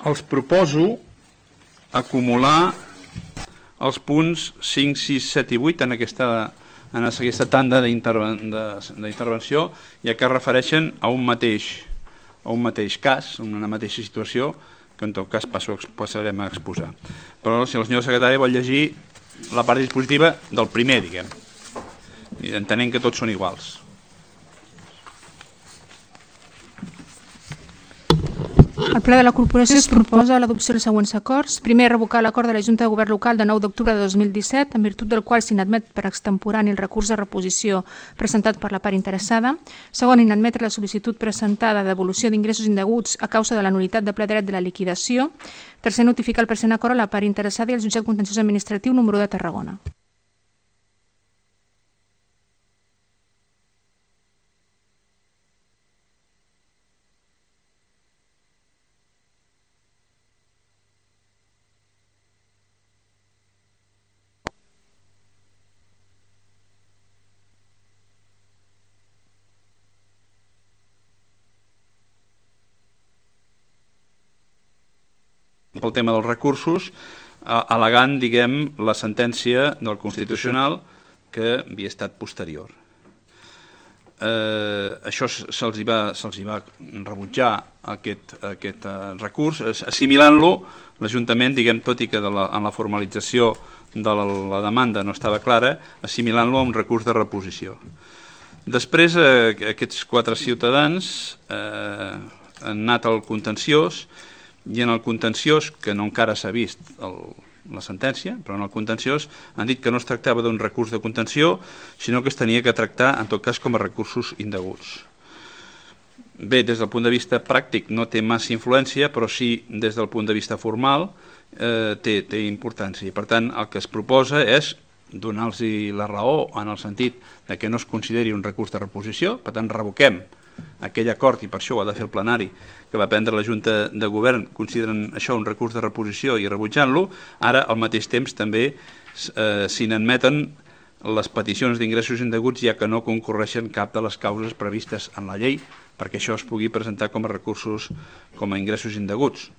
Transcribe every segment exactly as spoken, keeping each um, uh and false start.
els proposo acumular els punts cinc, sis, set i vuit en aquesta, en aquesta tanda d'intervenció, ja que es refereixen a un mateix, a un mateix cas, a una mateixa situació, que en tot cas passo, passarem a exposar. Però si el senyor secretari vol llegir la part dispositiva del primer, diguem, entenent que tots són iguals. El Ple de la Corporació es proposa l'adopció dels següents acords. Primer, revocar l'acord de la Junta de Govern Local de nou d'octubre de dos mil disset, en virtut del qual s'inadmet per extemporani el recurs de reposició presentat per la part interessada. Segon, inadmetre la sol·licitud presentada de devolució d'ingressos indeguts a causa de la nul·litat de ple dret de la liquidació. Tercer, notificar el present acord a la part interessada i al Jutjat Contenciós Administratiu número de Tarragona. Pel tema dels recursos, al·legant, diguem, la sentència del Constitucional que havia estat posterior. Eh, això se'ls va, se'ls va rebutjar aquest, aquest recurs, assimilant-lo, l'Ajuntament, diguem, tot i que de la, en la formalització de la, la demanda no estava clara, assimilant-lo a un recurs de reposició. Després, eh, aquests quatre ciutadans eh, han anat al contenciós, i en el contenciós, que no encara s'ha vist el, la sentència, però en el contenciós han dit que no es tractava d'un recurs de contenció, sinó que es tenia que tractar, en tot cas, com a recursos indeguts. Bé, des del punt de vista pràctic no té massa influència, però sí des del punt de vista formal eh, té, té importància. I, per tant, el que es proposa és donar-los la raó en el sentit de que no es consideri un recurs de reposició, per tant, revoquem aquell acord, i per això ho ha de fer el plenari, que va prendre la Junta de Govern, consideren això un recurs de reposició i rebutjant-lo. Ara, al mateix temps, també eh, s'hi n'admeten les peticions d'ingressos indeguts, ja que no concorreixen cap de les causes previstes en la llei, perquè això es pugui presentar com a recursos, com a ingressos indeguts.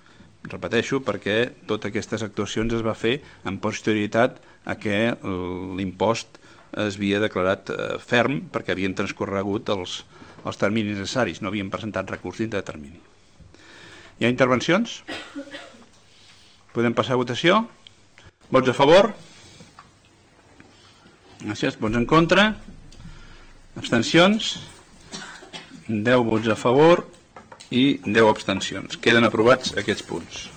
Repeteixo, perquè totes aquestes actuacions es va fer en posterioritat a que l'impost es havia declarat ferm, perquè havien transcorregut els, els terminis necessaris, no havien presentat recurs dintre de termini. Hi ha intervencions? Podem passar a votació? Vots a favor? Gràcies. Vots en contra? Abstencions? deu vots a favor i deu abstencions. Queden aprovats aquests punts.